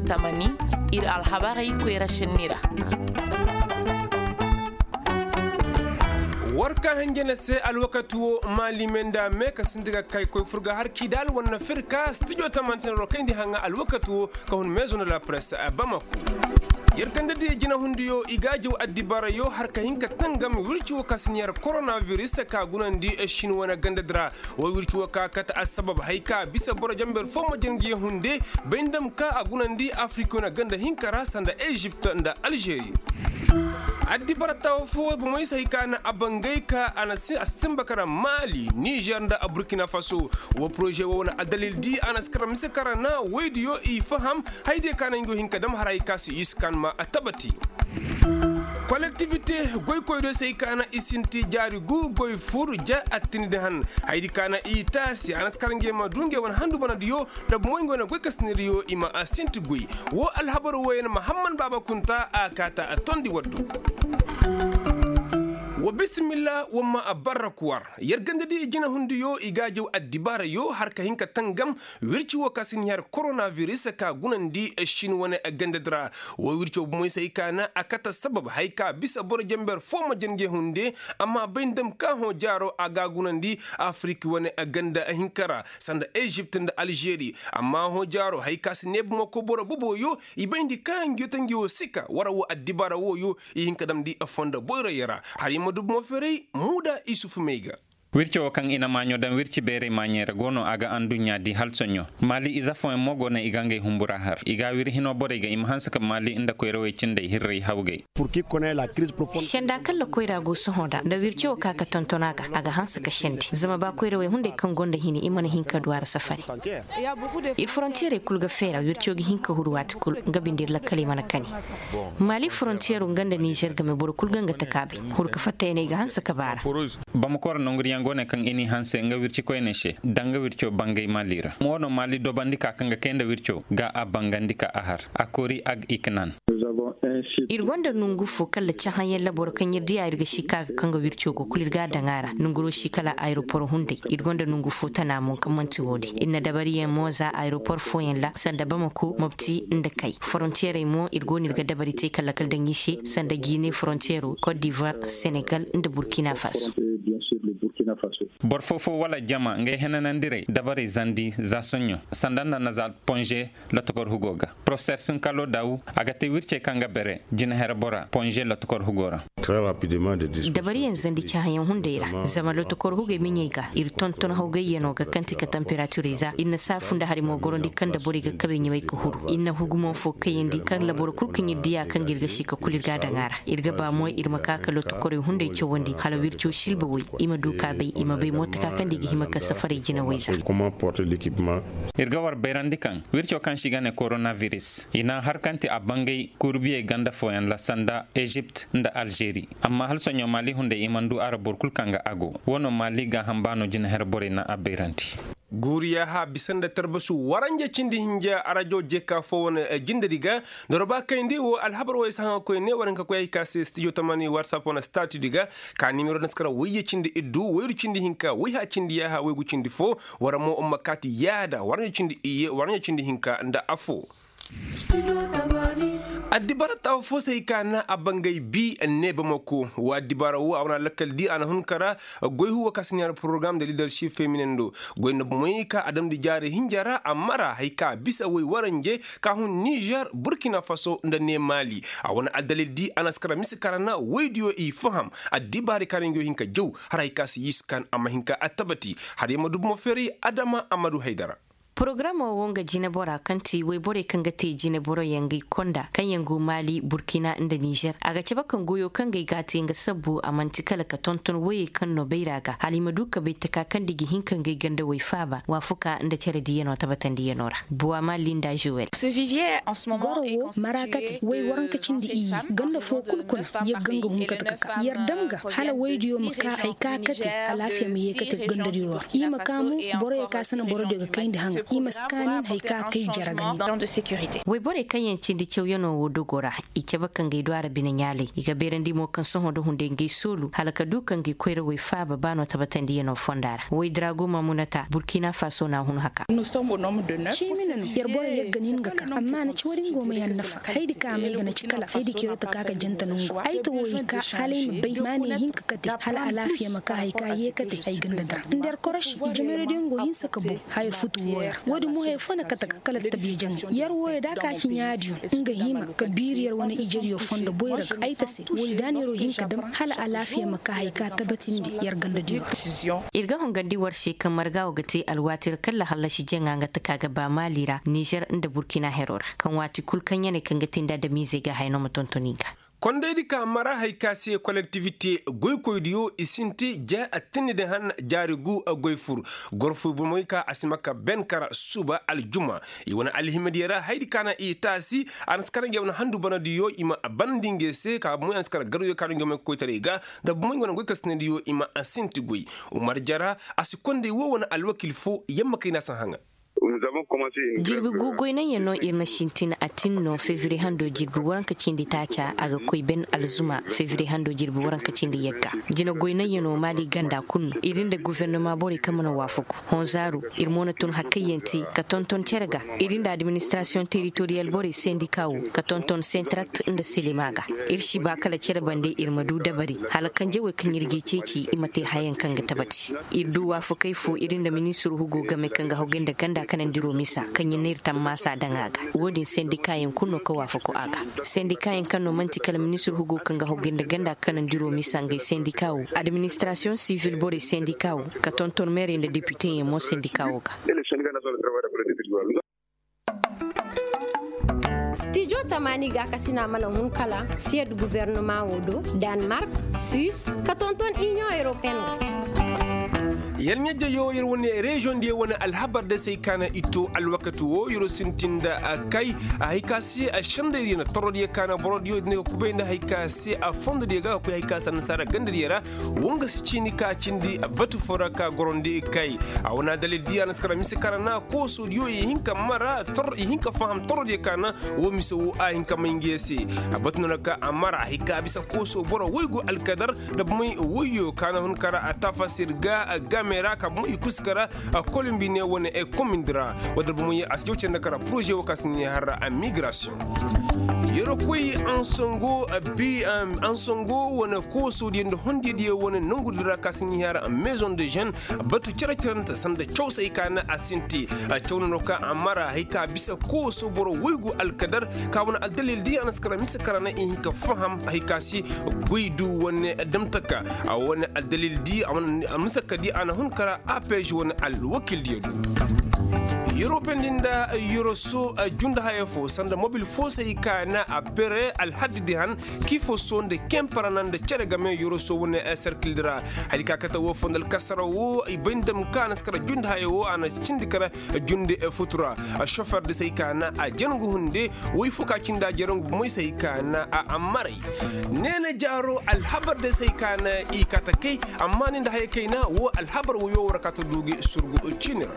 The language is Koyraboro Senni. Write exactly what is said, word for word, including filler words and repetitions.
Tamani, ir alhabarey koyra šenni ra. War ka hanjana se alwakati wo maali me nda me ka sinti ga kay koy fur ga har kii daal war na fir ka stijo tamani se na rokayndi haŋa alwakati wo ka hun meezo nda la press bamako. Yer ganda di jinahundiyo i ga a jaw addibaarayo har ka hin ka tangam wirci wo ka si ɲaar koronabiris ka gunandi shin wane ganda di ra. Wo wirci wo ka kate assabab hay ka bisa boro jamber fo ma janga ye hunde bay nda ma ka a gunandi afirik wane ganda hinka ra sanda ezipt nda alžeri. Addibaara taawo fo bomey se hay ka na a bangay ka a na si a si sinba kara maali nizer nda burkina faso. Wo poroze wo wane addalil di a na si kara mise kara na woydiyo i faham. Haydiyo ka na ngi go hin ka dam har hay ka si i si ka ni ma a tabati. Kolektivite goykoydiyo se hay ka na i sinti jaari gu goy fur ja attinidi han. Haydi ka na i taasi a na si kara ngi ma du ngi wane handu banadiyo. Nda bomey ngi wane goy ka siniriyo i ma a sinti goy. Wo alhabar woyey na mahamman baaba kunta a kaata a tondi waddu. Wa bisimilla wa ma a barra kuwar. Yer ganda di jinahundiyo i ga a jaw addibaarayo har ka hin ka tangam. Wirci wo ka si ni har koronabiris ka gunandi shin wane ganda di ra. Wo wirco bomey se hay ka na a kate sabab hay ka bisa boro jamber fo ma janga ye hunde. Amma bay nda ma ka hõ jaaro a ga a gunandi afirik wane ganda hinka ra sanda ezipt nda alžeri. Amma hõ jaaro hay ka si neeba mo ko boro boboyo i bayndi ka ngi yo ta ngi wo sika wara wo addibaara woyo i hin ka damndi fondo boyroyo ra. Har i ma du bomo feeray muuda isufu may ga. Wirco wo kaŋ i na maaɲo daŋ wirci beeray maaɲey ra go no a ga anduɲɲa di hala soɲõ. Maali ize fooyaŋ mo go no i ga ngey humbura har i ga a wiri hino borey ga i ma hanse ka maali nda koyrawey cindey hirray hawgay. Senda kaŋ lakoyra go sohõ nda nda wirco wo ka ka tonton a ga a ga hanse ka sendi zama ba koyrawey hunday kaŋ gonda hini i mana hin ka du a ra safari. Ir forontiyerey kul ga feera wirco ga hin ka huru waati kul nga binde ir lakkaley mana kani. Maali forontiyero nga nda nizer game boro kul ga nga takaabay huru ka fattayaney ga hanse ka baara. Bamako ra nonguriyaŋ go ne kaŋ i n'i hanse nga wirci koyney se danga wirco bangay maali ra mo no maali dobandi ka kaŋ ga kay nda wirco ga a bangandi ka a har a koori ag iknan. Ir gonda nongu fo kala cahãyaŋ laboro kaŋ ir diya ir ga si ka ga kaŋ ga wirco go kulu ir ga a daŋ a ra nonguro si kala aeropor hunday. Ir gonda nongu fo tana mo kaŋ man'ti wo- din ir na dabariyaŋ mo za aeropor fooyaŋ ra sanda bamako mobti nda kay forontiyerey mo ir go no ir ga dabari te kala kala daŋ i se sanda gine forontiyero kot divoir senegal nda burkina faso. Boro foo-foo wala jama ngey henanandirey dabarey zandi za soɲõ sanda nda na za ponze lotokor hugo ga. Porofeser sunkalo dawu a ga te wircey kaŋ ga bere jinahere bora ponze lotokor hugo ra. Dabariyaŋ zandi cahãyaŋ hunday ra zama lotokor hugey miɲey ga ir tonton hawgayyanoo ga kaŋ ti ka tanperaturey za ir na saafu nda hari mo gorandi kaŋ nda borey ga kabey ɲamay ka huru ir na hugumo fo kayandi kaŋ ra boro kul kaŋ ir diya kaŋ ga ir ga si ka kul ir ga a daŋ a ra. Ir ga ba mo ir ma ka ka lotokorey hunday cawandi hala wirco silba woy i ma du ka bay i ma bay mo taka kaŋ nda i ga hima ka safarey jinawey za. Ir ga war bayrandi kaŋ wirco kaŋ se i ga ne koronabiris i na har kaŋ ti a bangay kurbiyey ganda fooyaŋ ra sanda ezipt nda alžeri. Amma hala soɲõ maali hunday i mana du a ra boro kul kaŋ ga a go wo no maali gaaham baano jinaher borey na a bayrandi. Guuriya ha bisa nda tarbasu waranja cindi hinja arajo jeka fo wane jindedi ga. Nda roba kayndi wo alhabar wo ay si haŋa koyne war hinka koy ay ka se stijo tamani watsap wane statudi ga. Ka nimero naskara wayye cindi iddu wayru cindi hinka wayha cindi yaaha waygu cindi fo. War mo umma kaati yaada waranja cindi iyye waranja cindi hinka nda afo. Addibaara taawo fo se ay ka na a bangay bi ne bamako wa addibaara wo a wane lakkal di a na hun kara. Goy huwa ka si ɲaari porogaram nda liidarship feminen do goy nda bomey ka a damndi jaari hinja ra amma ra hay ka bisa woy waranje ka hun nizer burkina faso nda ne maali. A wane addalil di a na si kara mise kara na woydiyo i faham addibaari ka na ngi yo hin ka jaw har hay ka si yii si kaan a ma hin ka attabati. Har ya ma du bomo feeray adama a ma du haydara. Porogaramo wo nga jinebora kaŋ ti woyborey kaŋ ga te jineboroyaŋ gay konda kaŋ yaŋ go maali burkina nda nizer a ga cabe kaŋ goyo kaŋ gay ga a te nga sabbu a man'ti kala ka tonton woyey kaŋ no bayra ga hala i ma du ka bay taka kaŋ nda i ga hin ka ngey gandawey faaba waafuka nda care diiyano tabatandiyano ra. Buwa maali nda zuwel. Goro wo mara kate woy waranka cindi iyye ganda fo kulu kuna yagga nga hun kate ka ka yer dam ga hala woydiyo ma ka hay ka kate alaafiya ma ye kate gandadiyo ra. I ma ka mo boroyo ka sanda borodiyo ga kayndi haŋa I ma si kaani nda hari ka a kay jere ga nin. Woy borey kaŋ yaŋ cindi cawyanoo wo dogoo ra, i cabe ka ngey du a ra bine ɲaalay. I ga beerandi mo kaŋ sohõ nda hunday ngey soolu hala ka du ka ngey koyrawey faaba ba no tabatandiyanoo fonda ra. Woy drago mamunata burkina faso n'a hun haka. Ciimi na no yer borey yagga nin ga ka amma na ci wo-din go ma yaŋ nafa. Haydi ka may ga na ci kala haydi kero ta ka ka janta nangu ay ta wo i ka hala ay ma bay maaney hinka kate hala alaafiya ma ka hari ka ye kate ay ganda dira nda yer korosi. Jamerodiyaŋ go hinsa ka boŋ haya futu wooyo ra wo-din mo haya fo na kate ga kala tabiya jaŋay yer wooyo da a ka ci ɲaadiyo nga hima ka biiri yer wane ijediyo fondo boyra ga ay ta se wooyo da na yeroo hin ka dam hala alaafiya ma ka hari ka tabatindi yer gandadiyo ra. Ir ga hongandi war se kaŋ marga wo ga te alwaati ra kala hallasi jaŋa nga taka ga ba maali ra nizer nda burkina hero ra kaŋ waati kul kaŋ ya ne kaŋ ga te nda adamiizey ga haya no ma tonton i ga. Kondaydi ka mara hari ka se kolektivite goykoydiyo i sinti ja attinni din han jaari gu goy fur. Gorfoy bomoy ka a si ma ka ben kara suba aljuma i wane alhimadiyo ra haydi ka na i taasi. A na si kara ngey wane handu banadiyo i ma a banandi ngey se ka bomoy a na si kara garwyo ka no ngey ma koytaray ga nda bomoy wane goykasinadiyo i ma a sinti goy. Umar jara a si konday wo wane alwakil fo yamma kay na a si haŋa. Jirbi gu goynaŋ yaŋ no ir na sintin a tin no fevriye hando jirbi waranka cindi taaca a ga koy ben alzuma fevriye hando jirbi waranka cindi yagga. Jina goynaŋ yaŋ no maali ganda kulu no ir nda gufernama borey kaŋ mana waafaku honzaaru. Ir mo na tun hakkayaŋ te ka tonton cere ga ir nda administrasiyoŋ teritoriyal borey sendika wo ka tonton sentrakt nda silima ga. Ir si ba kala cere bande ir ma du dabari hala kanje wey kaŋ ir g'i ceeci i ma te hayaŋ kaŋ ga tabati. Ir du waafakey fo ir nda ministir hugo game kaŋ ga hogay nda ganda kanandiro misa kaŋ ya ne ir tammaasa daŋ a ga. Wo-din sendikaayaŋ kulu no ka waafaku a ga. Sendikaayaŋ kaŋ no man'ti kala ministir hugo kaŋ ga hogay nda ganda kanandiro misa ngey sendikaa wo, administirasiyoŋ sivil borey sendikaa wo, ka tonton meerey nda depiteyaŋ mo sendikaa wo ga. Stijo tamaani gaakasina mana hun kala siyad guvernama wo do, danmark, suis, ka tonton iniyoŋ europeyen ga. Yer ɲajjayo yer wane reziyoŋ diyo wane alhabar day se ay kaana i to alwakati wo yer wo sintin nda kay. Hay ka se sendaydiyo na torodiyo kaana borodiyo din ga kubay nda hay ka se a fondodiyo ga ga koy hay ka se annasaara gandadiyo ra. Wo nga si ciini ka cindi batu fo ra ka gorandi kay. A wane addalil di a na si kara mise kara na koosodiyo i hin ka mara i hin ka faham torodiyo ka na wo mise wo a hin ka may ngiyo se. A batu no na ka a mara hay ka bisa kooso boro woy go alkadar nda bumey woyyo ka na hun kara a tafasir ga game ra ka bumey i kulu si kara. Kolombi ne wane komindi ra wadda bumey a si jaw cere nda kara poroze wo ka si ne har migrasiyoŋ. Yeroo koy ansongo wane koosodiyo nda hondiyadiyo wane nongudi ra ka si ne har mezoŋ de žen. Batu cere-cerente sanda caw se ay ka na a sinti. Caw no no ka a mara hay ka bisa kooso boro woy gu alkadar ka wane aldalil di a na si kara mise kara na i hin ka faham hay ka si goy du wane damtaka. A wane aldalil di a wane mise ka di a na hun kara a peez wane alwakildiyo du. Yoropendi nda yoroso jundahaya fo sanda mobil fo se hay ka na a bere alhaddi di han. Kii fo so nda kemparana nda cere game yoroso wane serkildi ra. Hari ka kate wo fo nda alkasara wo i bay nda ma ka a na si kara jundi haya wo a na cindi kara jundi futu ra. Sofer de se hay ka na a jangu hunde. Woy fo ka cindi a jarangu moy se hay ka na a maray. Neena jaaro alhabar de se hay ka na i kate kay. Amma ni nda haya kayna wo alhabar woyo war kate du gi surgu ciini ra.